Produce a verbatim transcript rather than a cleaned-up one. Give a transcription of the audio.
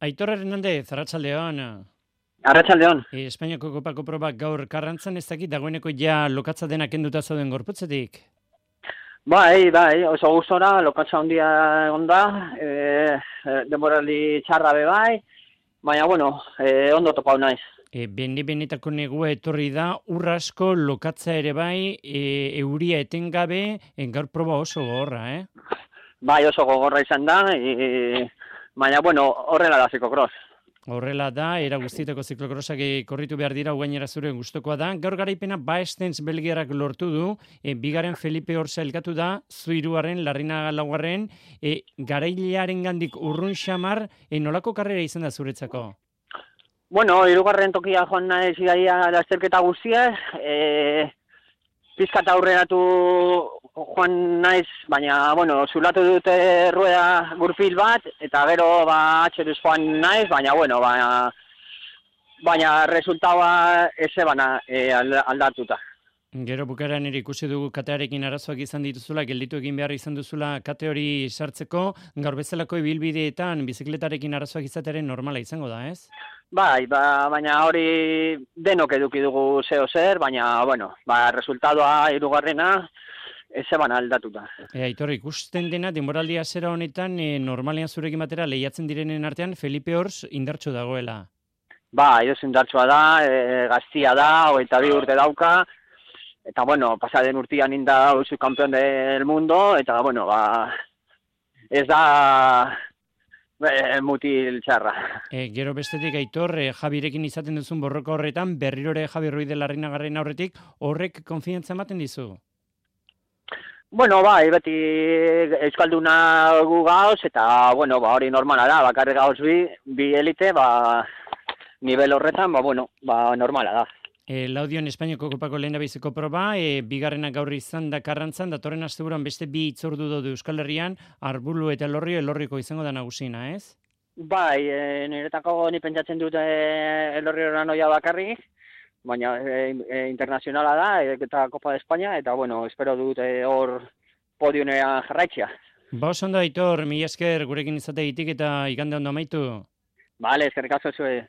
Aitor Hernandez, arratsaldeon. Arratsaldeon. E, Espainiako kopako probak gaur Karrantzan, ez dakit dagoeneko ja lokatza dena kenduta zauden gorputzetik. Bai, bai, oso gustora, lokatza handia egon da, e, denboraldi txarra be bai, baina, bueno, e, ondo topau naiz. E, bene benetako negua etorri da, urrasko lokatza ere bai, e, euria etengabe, e, gaur proba oso gogorra, eh? Bai, oso gogorra izan da, e, baina, bueno, horrela da zikokross. Horrela da, era guztietako ziklokrosak korritu behar dira, gainera zure gustokoa da. Gaur garaipena Baestens belgiarrak lortu du, e, bigaren Felipe Orsa elkatu da, zuiruaren, Larrinaga laugarren, e, garailearen gandik urrun xamar, e, nolako karrera izan da zuretzako? Bueno, hirugarren tokia joan naiz igaia lasterketa guztiaz, e, pizkat aurreratu joan naiz, baina, bueno, zulatu dute rueda gurpil bat, eta gero, ba, atxeruz joan naiz, baina, bueno, baina, baina resultaua ezebana e, aldatuta. Gero bukaeran ere ikusi dugu katearekin arazoak izan dituzula, gelditu egin behar izan duzula kate hori sartzeko, gaur bezalako ibilbideetan bizikletarekin arazoak izatearen normala izango da, ez? Bai, ba, baina hori denok eduki dugu zeo zer, baina, bueno, ba, resultadoa hirugarrena ezeban aldatuta. E, Aitor, ikusten dena, denboraldia zera honetan, e, normalean zurekin batera lehiatzen direnen artean, Felipe Ors indartsu dagoela. Ba, edo indartsua da, e, gaztia da, hogeita bi urte dauka, eta, bueno, pasaden urtian inda usu campeón del mundo, eta, bueno, ba, ez da e, mutil txarra. E, gero bestetik, Aitor, e, Jabirekin izaten duzun borroka horretan, berrirore Javi Ruiz de Larrinagarren aurretik, horrek konfiantza ematen dizu? Bueno, bai, beti euskalduna gu gauz, eta, bueno, ba, hori normala da, bakarri gauz bi, bi elite, ba, nivel horretan, ba, bueno, ba, normala da. E, Laudion Espainiako kopako lehendabiziko proba, e, bigarrena gaur izan da Karrantzan, datorren asteburuan beste bi itzordu daude Euskal Herrian, Arbulu eta Elorrio, Elorriko izango da nagusina, ez? Bai, e, niretako ni pentsatzen dut e, Elorrio noia bakarrik, baina e, e, internazionala da, e, eta Copa de España, eta, bueno, espero dut e, hor podionean jarraitzea. Ba, oso ondo, Aitor, mila esker gurekin izategitik eta igande ondo amaitu. Bale, eskerrik asko zuen.